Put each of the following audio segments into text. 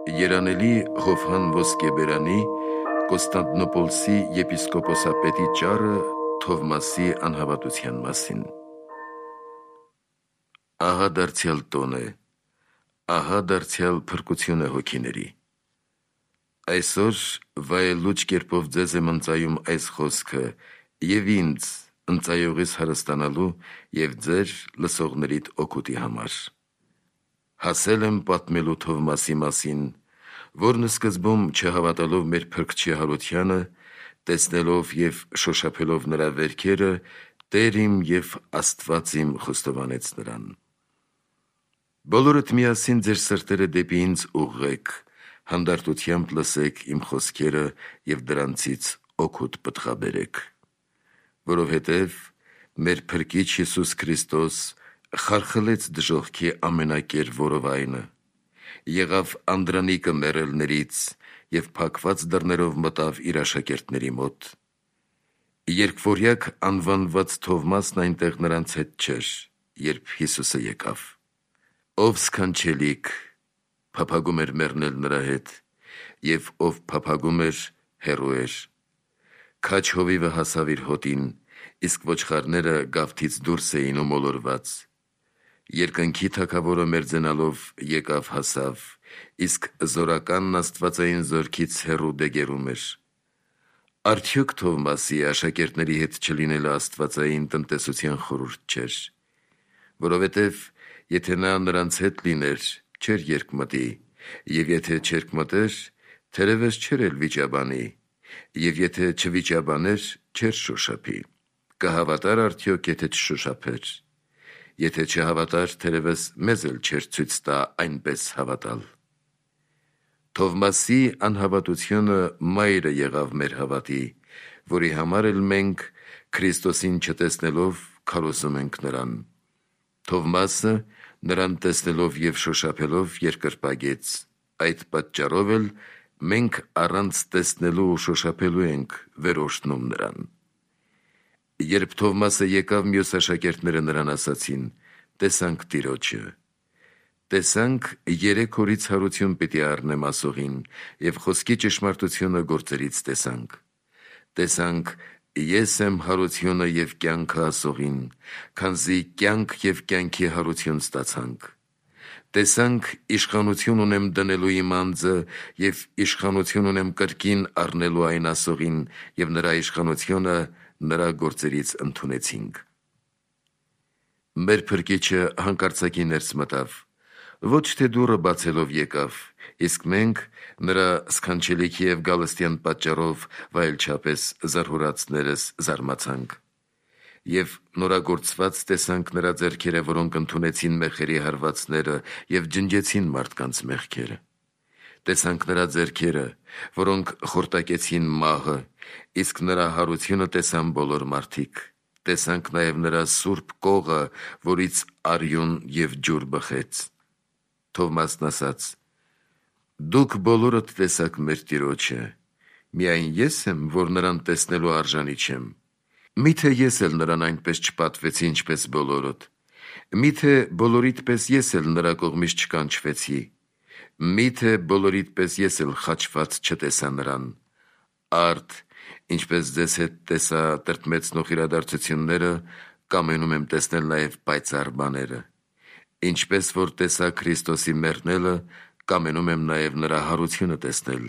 Երանելի Հովհան Ոսկեբերանի Կոստանդնոպոլսի եպիսկոպոսապետի ճառը Թովմասի անհավատության մասին։ Ահա դարձյալ տոն է, ահա դարձյալ փրկություն է հոգիների։ Այսօր վայելուչ կերպով ձեզ եմ ընծայում այս խոսքը և ինձ ընծայողիս հարստանալու և ձեր լսողներիդ օգուտի համար։ Հասել եմ պատմելու Թովմասի մասին, որն սկզբում չհավատալով մեր Փրկչի հարությանը, տեսնելով և շոշափելով նրա վերքերը, Տեր իմ և Աստված իմ խոստովանեց նրան։ Բոլորդ միասին ձեր սրտերը դեպի ինձ ուղղեք, հանդարտությամբ լսեք իմ խոսքերը և դրանցից օգուտ պտղաբերեք։ Որովհետև մեր Փրկիչ Հիսուս Քրիստոս խարխլեց դժոխքի ամենակեր որովայնը, եղավ անդրանիկը մեռելներից և փակված դռներով մտավ իր աշակերտների մոտ։ Երկվորյակ անվանված Թովմասն այնտեղ նրանց հետ չէր, երբ Հիսուսը եկավ։ Ով սքանչելիք, փափագում էր մեռնել նրա հետ, և ով փափագում էր, հեռու էր։ Քաջ հովիվը հասավ իր հոտին, իսկ ոչխարները գավթից դուրս էին ու մոլորված։ Երկնքի թագավորը մերձենալով եկավ հասավ, իսկ զորականն աստվածային զորքից հեռու դեգերում էր։ Արդյոք Թովմասի աշակերտների հետ չլինելը աստվածային տնտեսության խորհուրդ չէր, որովհետև եթե նա նրանց հետ լիներ, չէր երկմտի, և եթե չերկմտեր, թերևս չէր էլ վիճաբանի, և եթե չվիճաբաներ, չէր շոշափի։ Կհավատար արդյոք, եթե չշոշափեր։ Եթե չհավատար, թերևս մեզ էլ չէր ցույց տա այնպես հավատալ։ Թովմասի անհավատությունը մայրը եղավ մեր հավատի, որի համար էլ մենք, Քրիստոսին չտեսնելով, քարոզում ենք նրան։ Թովմասը նրան տեսնելով և շոշափելով երկրպագեց, այդ պատճառով էլ մենք առանց տեսնելու ու շոշափելու ենք վերորշտնում նրան։ Երբ Թովմասը եկավ, մյուս աշակերտները նրան ասացին. «Տեսանք Տիրոջը»։ Տեսանք 3 օրից հարություն պիտի առնեմ ասողին, և խոսքի ճշմարտությունը գործերից տեսանք։ Տեսանք ես եմ հարությունը և կյանքը ասողին, քանզի կյանք և կյանքի հարություն ստացանք։ Տեսանք իշխանություն ունեմ դնելու իմ անձը և իշխանություն ունեմ կրկին առնելու այն ասողին, և նրա իշխանությունը նրա գործերից ընդունեցինք։ Մեր Փրկիչը հանկարծակի ներս մտավ, ոչ թե դուռը բացելով եկավ, իսկ մենք նրա սքանչելիքի և գալստյան պատճառով վայելչապես զարհուրածներս զարմացանք։ Եվ նորագործված տեսանք նրա ձեռքերը, որոնք ընդունեցին մեխերի հարվածները և ջնջեցին մարդկանց մեղքերը։ Տեսանք նրա ձեռքերը, որոնք խորտակեցին մահը, իսկ նրա հարությունը տեսան բոլոր մարդիկ։ Տեսանք նաև նրա սուրբ կողը, որից արյուն և ջուր բխեց։ Թովմասն ասաց. «Դուք բոլորդ տեսաք մեր Տիրոջը, միայն ես եմ, որ նրան տեսնելու արժանի չեմ։ Մի՞թե ես էլ նրան այնպես չպատվեցի, ինչպես բոլորդ։ Մի՞թե բոլորիդ պես ես էլ նրա կողմից չկանչվեցի։ Մի՞թե բոլորիդ պես ես էլ խաչված չտեսա նրան։ Արդ, ինչպես ձեզ հետ տեսա տրտմեցնող իրադարձությունները, կամենում եմ տեսնել նաև պայծառ բաները։ Ինչպես որ տեսա Քրիստոսի մեռնելը, կամենում եմ նաև նրա հարությունը տեսնել։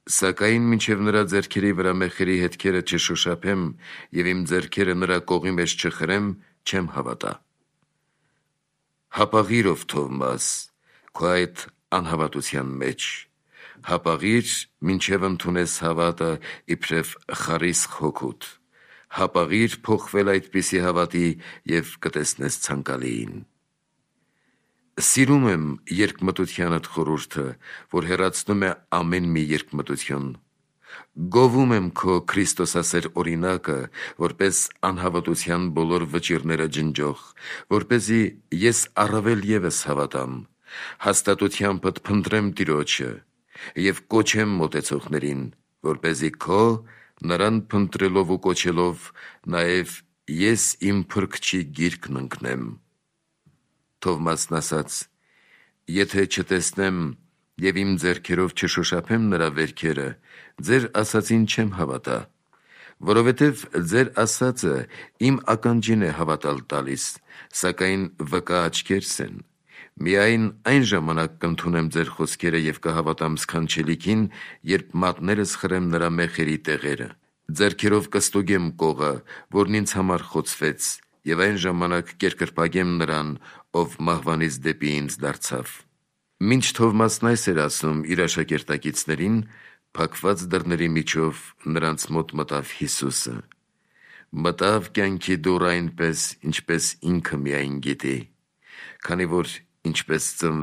Սակայն մինչև նրա ձեռքերի վրա մեխերի հետքերը չշոշափեմ և իմ ձեռքերը նրա կողի մեջ չխրեմ, չեմ հավատա։ Հապաղի՛ր, ով Թովմաս, քո այդ անհավատության մեջ, հապաղի՛ր, մինչև ընդունես հավատը իբրև խարիսխ հոգուդ, հապաղի՛ր փոխվել այդպիսի հավատի և կտեսնես ցանկալիին։ Սիրում եմ երկմտությանդ խորհուրդը, որ հեռացնում է ամեն մի երկմտություն։ Գովում եմ քո քրիստոսասեր օրինակը, որպես անհավատության բոլոր վճիռները ջնջող, որպեսզի ես առավել ևս հավատամ, հաստատությանդ փնտրեմ Տիրոջը և կոչեմ մոտեցողներին, որպեսզի քո նրան փնտրելով ու կոչելով նաև ես իմ Փրկչի գիրկն ընկնեմ։ Թովմասն ասաց. «Եթե չտեսնեմ եւ իմ ձեռքերով չշոշափեմ նրա վերքերը, ձեր ասածին չեմ հավատա, որովհետև ձեր ասածը իմ ականջին է հավատալ տալիս, սակայն վկա աչքերս են։ Միայն այն ժամանակ կընդունեմ ձեր խոսքերը եւ կհավատամ սքանչելիքին, երբ մատներս խրեմ նրա մեխերի տեղերը։ Ձեռքերով կստուգեմ կողը, որն ինձ համար խոցվեց, եւ այն ժամանակ կերկրպագեմ նրան, ով մահվանից դեպի ինձ դարձավ։ Մինչ Թովմասն այս էր ասում իր աշակերտակիցներին, փակված դռների միջով նրանց մոտ մտավ Հիսուսը։ Մտավ կյանքի դուռ այնպես, ինչպես ինքը միայն գիտի, քանի որ ինչպես